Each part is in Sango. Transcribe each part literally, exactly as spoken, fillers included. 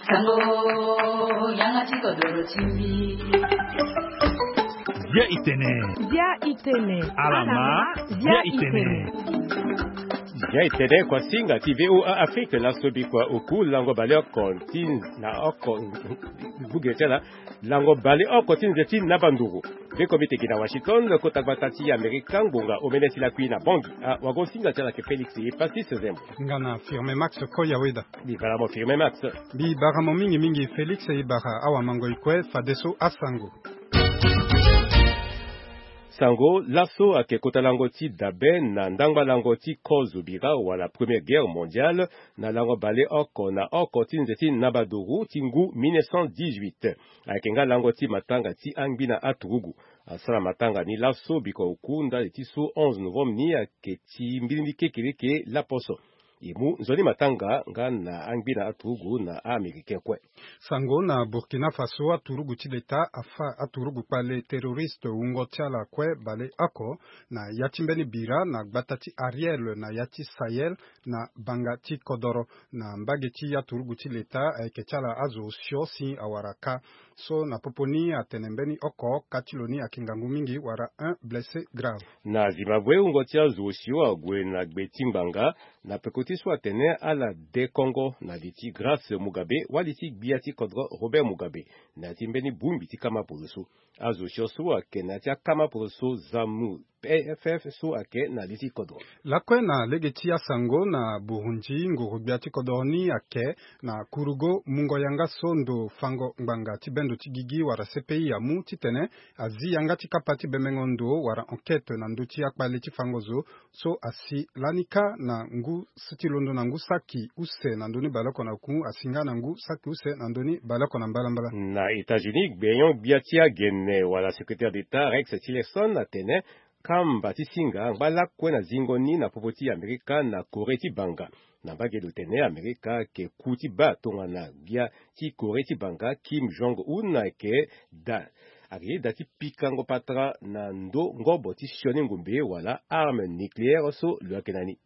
Sango, yanga ti kodoro ti mbi. Bia itene. Bia itene. Alama. Bia itene. Bia itene, kuasinga ti VOA Afrique, laso bikua oku lango baleoko ti na oko. Buge ti ala. Lango baleoko ti nze ti naba nduru. Beko mbi teke na Washington, kota gbata ti Amerika, ngbonga omene ti lakui na Bangui. Ah, wago singa ti ala ke Félix Epasis Zembo. Nga na Firme Max Koya Weda. Mbi bara mo Firme Max. Mbi bara mo mingi mingi Félix, e bara awamango e kue fadeso asango. Sango, laso ayeke kota lango ti dabe na ndangba lango ti kozo bira wala Première Guerre mondiale, na lango baleoko na oko ti nze ti naba nduru ti ngu mille neuf cent dix-huit. Ayeke nga lango ti matanga ti angbina aturugu. Asara matanga ni laso bikua oku ndali ti so onze novembre ni ayeke ti mbilindi kekereke laposo. E mu nzoni matanga nga na angbina aturugu na a-Américain kue. Sango, na Burkina Faso, aturugu ti leta afa aturugu kpale terroriste wungo ti ala kue baleoko na ya ti mbeni bira na gbata ti Ariel na ya ti Sahel na banga ti kodoro. Na mbage ti aturugu ti leta, ayeke ti ala azo osio si awara kâ. So na popo ni atene mbeni oko kâ ti lo ni ayeke ngangu mingi wala un blessé grave. Na Zimbabwe, wungo ti azo osio ague na gbe ti ngbanga na peko ti so atene ala de kongo na li ti Grace Mugabe wali ti gbia ti kodro Robert Mugabe, na ya ti mbeni bongbi ti kama poroso. Azo osio so ayeke na ya ti akama poroso ZANU P F so ayeke na li ti kodro. Lakue na lege ti asango, na Burundi, nguru-gbia ti kodro ni ayeke na kurugo mungo yanga so ndo fango ngbanga ti bendo ti gigi wala C P I amu titene azi yanga ti kapa ti bemengo ndo wala enquête na ndö ti akpale ti fango zo so asi lani kâ na ngu si ti londo na ngu saki use na ndö ni baleoko na oku, asi nga na ngu saki use na ndö ni baleoko na mbalambala. Na États-Unis, gbenyo-gbia ti agene wala secrétaire d'État Rex Tillerson atene kamba ti singa angba lakue na zingo ni na popo ti Amerika na Corée ti banga. Na mbage lo tene Amerika ayeke ku ti baa tongana gbia ti Corée ti banga Kim Jong Un ayeke da, ayeke ye da ti pikango patara na ndo ngobo ti sioni ngombe wala arme nucléaire so lo yeke na ni.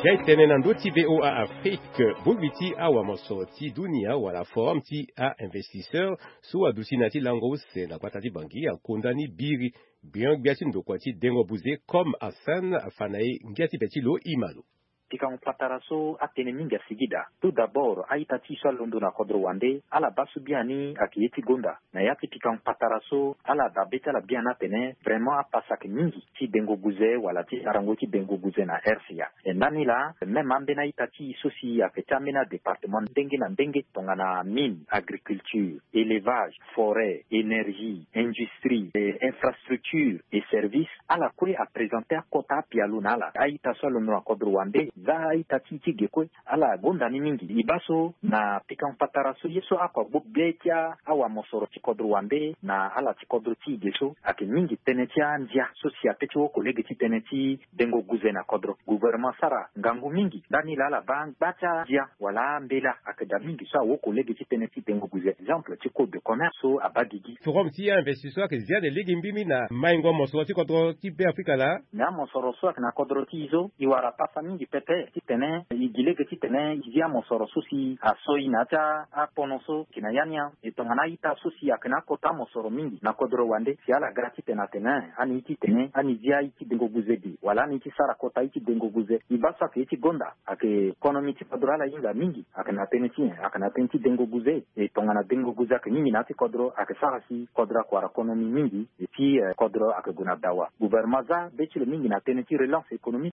Zia e tene na ndö ti VOA Afrique, bongbi ti awamosoro ti dunia wala Forum ti a-investisseur so aduti na ya ti lango use na gbata ti Bangui akonda ni biri. Gbenyo-gbia ti ndokua ti dengo buze Comme Hassan afa na e ngia ti be ti lo, ima lo. Pikango patara so atënë mingi asigi daa. Tout d'abord, a-ita ti e so alondo na kodro wande, ala baa so biani ayeke ye ti gonda. Na ya ti pikango patara so, ala dabe ti ala biani atene vraiment apasa ayeke mingi ti dengo guze wala ti sarango ti dengo guze na R C A. E ndani laa, même ambeni a-ita ti e so si ayeke ti ambeni adépartement ndenge na ndenge, tongana mine, agriculture, élevage, forêt, énergie, industrie, eh, infrastructure et service, ala kue aprésenté akota apialo na ala. A-ita so alondo na kodro wande, za a-ita ti e ti ge kue, ala gonda ni mingi. E baa so na pikango patara so ye so oko agbu be ti a, awamosoro ti kodro wande na ala ti kodro ti e ge so, ayeke mingi tënë ti andia so si ape ti woko lege ti tënë ti dengo guze na kodro. Gouvernement asara ngangu mingi ndani laa ala baa angba ti andia wala ambela ayeke daa mingi so awoko lege ti tënë ti dengo guze. Exemple ti code de commerce so abaa gigi. Forum ti a-investisseur ayeke zia de lege mbimbi na maingo mosoro ti kodro ti Be Afrika laa. Na amosoro so ayeke na kodro ti e so, e wara pasa mingi pepe titene e gi lege titene e zia mosoro so si aso e na ya ti apono so ayeke na ya ni. E tongana a-ita so si ayeke na akota mosoro mingi na kodro wande, si ala ga titene atene ani titene ani zia aye ti dengo guze ge wala ani ti sara kota aye ti dengo guze. E baa so ayeke ye ti gonda, ayeke konomi ti kodro ala hinga mingi, ayeke na tënë ti nyen? Ayeke na tënë ti dengo guze. E tongana dengo guze ayeke mingi na ya ti kodro, ayeke sara si kodro ayeke wara konomi mingi, e ti, eh, kodro ayeke gue na dawa. Gouvernement aza be ti lo mingi na tënë ti relance économique.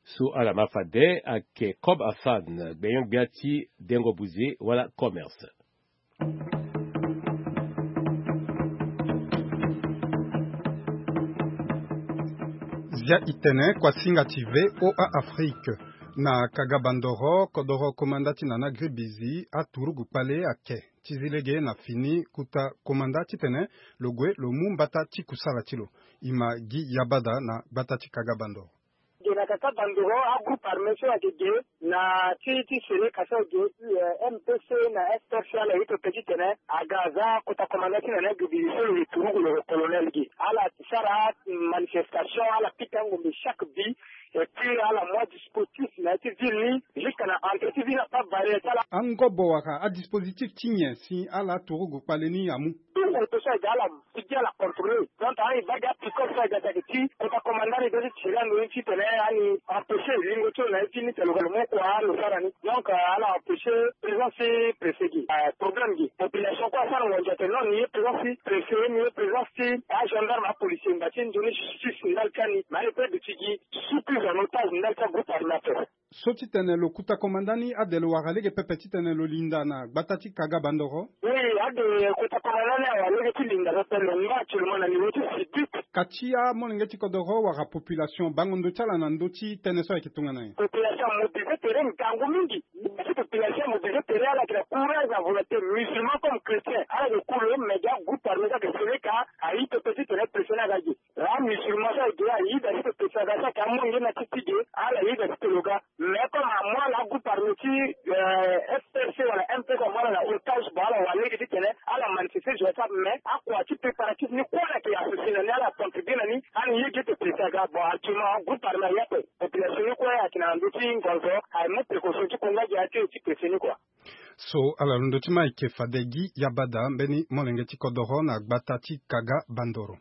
So ala ma fade ayeke Comme Hassan, gbenyo-gbia ti dengo buze wala commerce. Zia e tene, kuasinga ti VOA Afrique. Na Kagabandoro, kodoro komanda ti Nana Gribizi, aturugu kpale ayeke ti zi lege na fini kota komanda titene lo gue lo mu mbata ti kusala ti lo. Ima gi yabada na gbata ti Kagabandoro. Ge na Kagabandoro, agroupe armé so ayeke ge na ti, ti Seleka so ayeke ge, eh, M P C na S P C, ala ye pepe titene aga aza kota komanda ti Nana Gribizi so lo ye turugu lo colonel ge. Ala sara, mm, Manifestation ala pika ngombe chaque bi. Et puis ala mwa dispositif na ya ti ville ni jusqu'à na entrée ti ville na pas barrière ti ala. Angobo wala adispositif ti nyen si ala turugu kpale ni amu? Tout moto so ayeke ala ti gi ala contrôler. Donc ala e baa gi apikol so ayeke daa ti kota commandant ni daa ti tiri ando ni titene ala empêcher lingo ti lo na ye ti ni tene lo ga lo mu kua lo sara ni. Donc ala empêcher présence ti préfet gi. Problème gi population kue asara ngonzo atene non ni ye présence ti préfet ni ye présence ti agendarme apolicier ngba ti nzoni justice ndali ti ani mais ala e pe duti gi sous prise en otage ndali ti agroupe armé ape. So titene lo kuta commandant ni ade lo wara lege pepe titene lo linda na gbata ti kaga bandoro? Oui, ade kuta commandant ni awara lege ti linda pepe lo ngba actuellement na niveau ti sibit. Kati amolenge ti kodoro wala population bango ndo ti ala na ndö ti tënë so ayeke tongana nyen? Population amobilise tere ngangu mingi. Ti population amobilise tere ala yeke na courage na volonté musulman comme chrétien ala yeke kuru lo mais gi agroupe armé so ayeke seleka ayi pepe titene préfet ni aga gi. Amusulman so ayeke ayi daa ti pepe so aga so ayeke amolenge na ti ti ge ala yi daa ti tene lo ga. Mais comme amu ala agroupe armé ti frc wala mpc amu ala na otage bon ala wara lege titene ala manifeste jour ti ape mais akua ti préparatif ni kue ala yeke associé na ni ala contribue na ni. Ani ye ge ti préfet aga bon actuellement groupe armé aye ape. Population ni kue ayeke na ndö ti ngonzo aye mu précaution ti konga gi aye ti préfet ni kua. So ala londo ti ma ayeke fade gi yabada mbeni molenge ti kodoro na gbata ti kaga bandoro.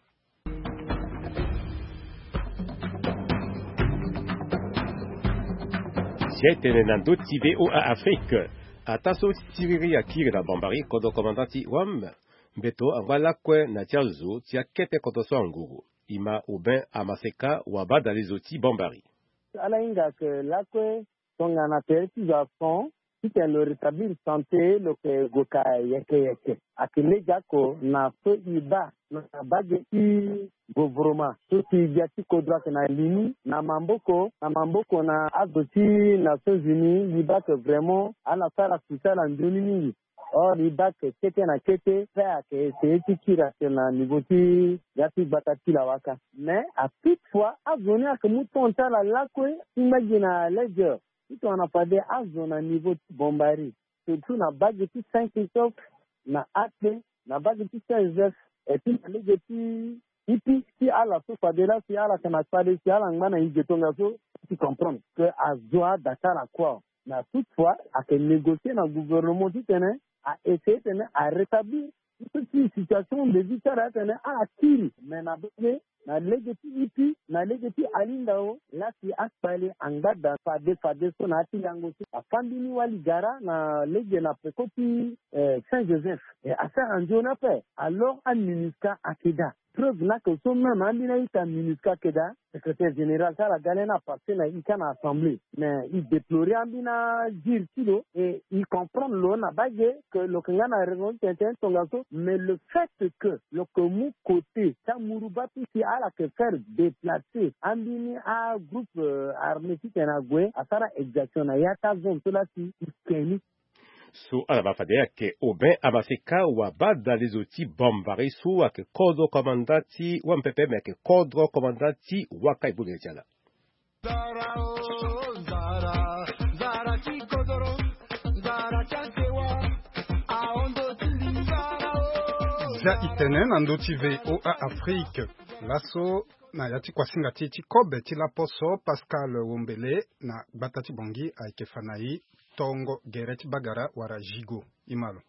Si aye tene na ndö ti voa afrique. Ataa so siriri akiri na bambari kodro komanda ti wam mbeto angba lakue na ti azo ti akete kodro so anguru. Ima aubin amaseka wabadalezo ti bambari. Ala hinga ke lakue tongana tere ti zo ason titene lo rétablir santé lo ke gue ka yeke yeke. Ayeke lege ako na so e baa na bage ti govoroma so si gbia ti kodro ayeke na li ni na maboko na maboko na azo ti nations unies e baa ke vraiment ala sara succès ala nzoni mingi. Or e baa ke kete na kete pe ayeke essayer ti kiri ake na niveau ti ya ti gbata ti lawaka. Mais à toute fois azo ni ayeke mu temps ti ala lakue ti ngba gi na ledger ti tongana fade azo na niveau ti bombari surtout na bage ti saint christophe na akpe na bage ti saint joseph et puis na lege ti ipi ti ala so fade laa si ala yeke na kpale si ala ngba na e ge tongaso ti comprendre ke azo ada ti ala kua. Mais à toute fois ayeke négocier na gouvernement titene a essayer titene a rétablir ti so ti situation de vie ti ala titene ala kiri mais na bage na lege ti ipi na lege ti alinda o laa si akpale angba daa fade fade so na ya ti yango so afâ mbeni wali gara na lege na peko ti saint joseph. E asara nzoni ape. Alors aminusca ayeke daa preuve ni ayeke so même ambeni a-ita minusca ayeke daa. Secrétaire général ti ala ga lani apasse na ita na assemblée mais e déplorer ambeni ajure ti lo e e comprendre lo na bage ke lo yeke nga na raison ti tene tene tongaso mais le fait ke lo yeke mu côté ti amuruba ti si ala yeke faire déplacer ambeni agroupe armée titene ague asara exaction na ya ti azone so laa si e ke ni. So ala baa fade ayeke aubin amaseka wabadalezo ti bambari so ayeke kodro komanda ti wampepe me ayeke kodro komanda ti waka e bongele ti ala. Za itene na ndö ti voa afrique. Laso na ya ti kuasinga ti e ti kobe ti laposo pascal wombele na gbata ti bongi ayeke fa na e tongo gere ti bagara wala zigo. Imalo.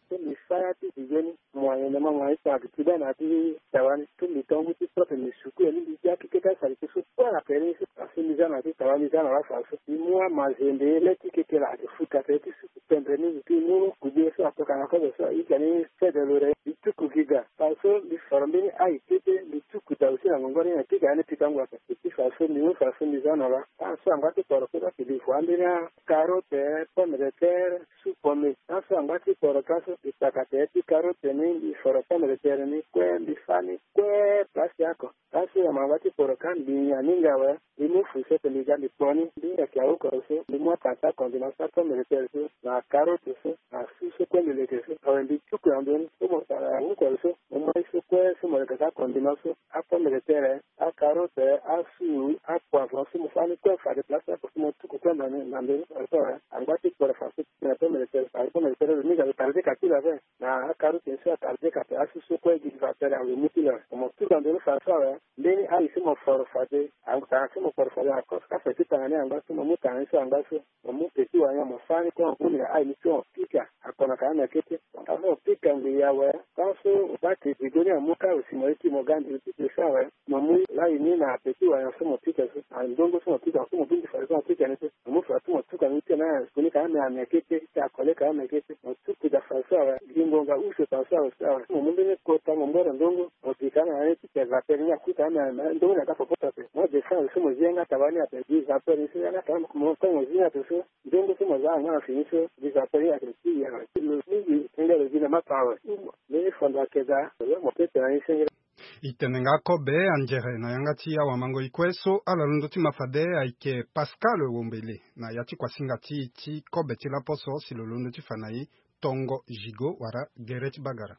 Ti mbi fa ya ti zigo ni moyen na ma moyen ti tongana mbi ti baa na ya ti tawa ni ti mbi tongo ti propre mbi suku ya ni mbi zia keke ti asalite so kue na pere ni so asi mbi za na ya ti tawa mbi za na wafa so mbi mu amazende le ti keke la ake futa pere ti suku pendre ni mbi ti mu kude so atokana kozo so ahika ni fede lo re mbi tuku gi ga. Fa so mbi foro mbeni ayi kete mbi tuku da aussi na ngongo ni na keke ani pika ngu ape mbi ti fa so mbi mu fa so mbi za na wa. Aso angba ti poro kue so ake mbi fu ambeni akarote pomme de terre. Su pome laso angba ti poro laso mbi kpaka tere ti karote ni mbi foro pomme de terre ni kue mbi fa ni kue place oko. Laso yama angba ti poro ka mbi nyen aninga awe. Mbi mu fu so ete mbi ga mbi kpo ni mbi yeke awu koro so mbi mu atanga ti akonzo na so apomme de terre so na karote so na su so kue mbi leke so awe mbi tuku na ndo ni so mo tara awu koro so mo moi so kue. So mo leke ka kondima so apomme de terre, acarotte, asou, apoivron so mo fâ ni kue fade place ni ape so mo tuku kue na ndoni fade so awe. Angba ti kporo fa so ti tene apomme de terre, fade apomme de terre lo mingi alo tarde ka ti lo ape. Na acarotte ni so atarde ka ape, asou so kue gi vapeur alo mu ti lo awe. Mo tuku na ndoni fade so awe. Mbeni ayi so mo foro fade, atanga so mo foro fade ako so ka fete tanga ni angba so mo mu tanga ni so angba so. Mo mu peti wala nyen mo fâ ni kue mo mu na ayi ni so mo pika. Akona ka ameke te. Aso mo pika ngu ya awe. Aso mo baa ti zigo ni amu ka aussi mo ye ti mo ga ndiri ti pio so awe. Mo mu layi ni na peti wala nyen so mo pika so, andongo so mo pika so mo bungbi fade so mo pika ni so. Mo mu fade so mo tuka ni ti na ayi ni ka ame ameke te, ti akole ka ameke te. Mo tuku da fade so awe. Gi ngonga use fade so awe so awe. Mo mu mbeni kota mo mboro ndongo. Mo pika na aye ti pika vapeur ni aku ka ame ndongo ni aga popo so ape. Mo descend so mo zi yanga tabani ape gi vapeur ni so yanga tabani mo tongo zi ni ape so. Ndongo so mo za angana fini so, gi vapeur ni ayeke ti ya. Lo mingi nge lo gi na mapa awe. Mbeni fondo ayeke daa, lo mo pepe na ni sengela. E tene nga kobe anzere na yanga ti awamango-e kue so ala londo ti ma fade ayeke Pascal Wombele na ya ti kuasinga ti e ti kobe ti laposo si lo londo ti fa na e tongo zigo wala gere ti bagara.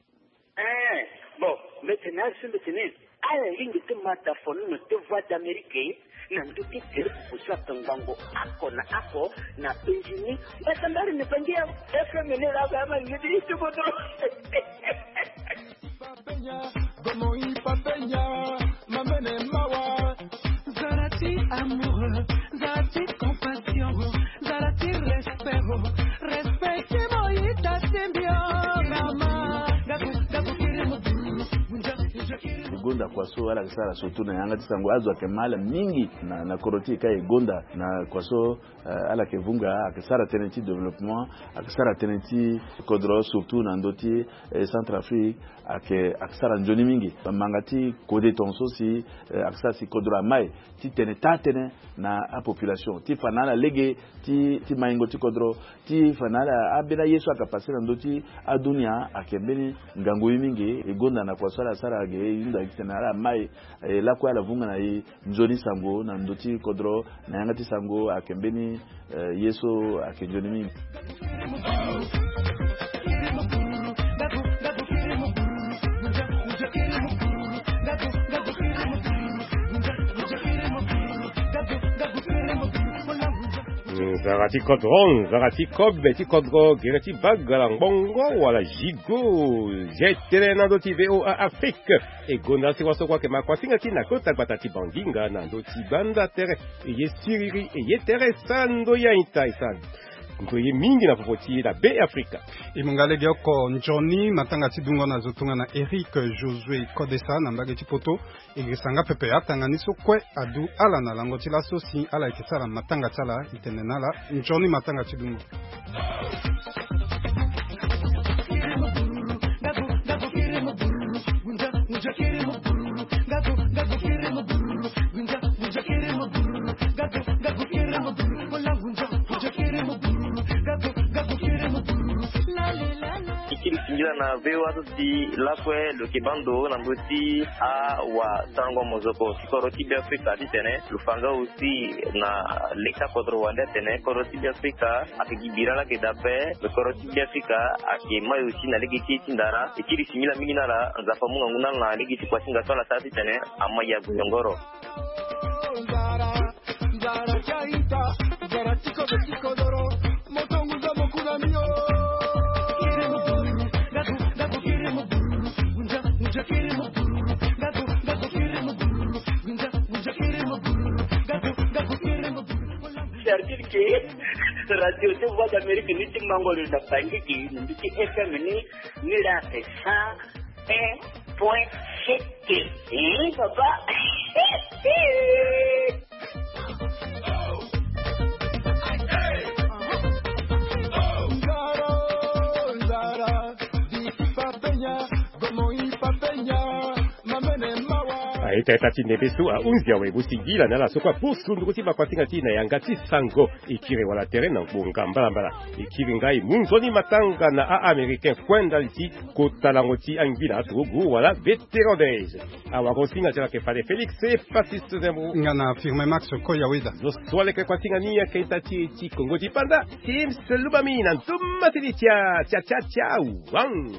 Eh, bon, mbi tene azo so mbi tene ala lingbi ti ma tafono na to Voix d'Amérique na ndö ti tere popo so ape ngbangbo oko na oko na penzi ni. Mbi tene ala ne bangi ya F M ni la ba ma ni ti ti bodo. Zala ti amour, zala ti compassion, zala ti respect, respect ti mo ita ti mbi o mama. Gabu gabu kiri mo buru. Gonda kua so ala yeke sara surtout na yanga ti sango, azo ayeke ma ala mingi na, na kodro ti e ka e gonda na kua so, eh, ala yeke vunga, ayeke sara tënë ti développement, ayeke sara tënë ti kodro surtout na ndö ti, eh, Centrafrique, ayeke, ayeke sara nzoni mingi. Manga ti kode tongaso si, eh, ayeke sara si kodro amai ti tene taa tënë na apopulation ti fa na ala lege ti, ti maingo ti kodro, ti fa na ala ambeni aye so ayeke pase na ndö ti adunia ayeke mbeni ngangu ye mingi. E gonda na kua so ala sara ge e hunda gi tene ala mai, e lakue ala vunga na e nzoni sango na ndö ti kodro na yanga ti sango ayeke mbeni, eh, ye so ayeke nzoni mingi. Nzara ti kodro, nzara ti kobe ti kodro, gere ti bagala ngbongo wala zigo. Zetele na ndö ti V O A Afrique. E gonda si waso kue ayeke ma kuasinga ti na kota gbata ti Banginga na ndö ti banda tere. E ye siriri, e ye tere sara ndoye a-ita, e sara ndoye mingi na popo ti e na Be Afrika. E mu nga lege oko nzoni matanga ti dungo na zo tongana Eric Josué Kodesa na mbage ti poto. E girisa nga pepe atanga ni so kue adu ala na lango ti laso si ala yeke sara matanga ti ala. E tene na ala nzoni matanga ti dungo. Ti kiri singila na V O A so ti lakue lo yeke baa ndo na ndö ti awasarango mozoko ti kodro ti Be Afrika titene lo fa nga aussi na leta kodro wande atene kodro ti Be Afrika ayeke gi bira laa ayeke daa ape. Lo kodro ti Be Afrika ayeke mai aussi na lege ti e ti ndara. E kiri singila mingi na ala, Nzapa amu ngangu na ala na lege ti kuasinga so ala sara titene amai ague yongoro. C'est-à-dire que radio ti Voix d'Amérique ni ti mango lo na Bangi gi na ndö ti F M ni, ni la ake cent un point sept. Hein, papa? A-ita-ita ti ndembe so ahunzi awe, mo singila na ala so kue apusu nduru ti makuasinga ti e na yanga ti sango. E kiri wala tere na ngbonga mbalambala. E kiri ngai mu nzoni matanga na a-Américain kue ndali ti kota lango ti angila aturugu wala vétéran des. Awagosinga ti ala ayeke fade Félix Epasis Zembo. Nga na Firmin Max Koyaweda. Zo so aleke kuasinga ni ayeke ita ti e ti Kongo ti Panda, Tims Lubami na nduma ti li tia, tia, tia, tia, wang.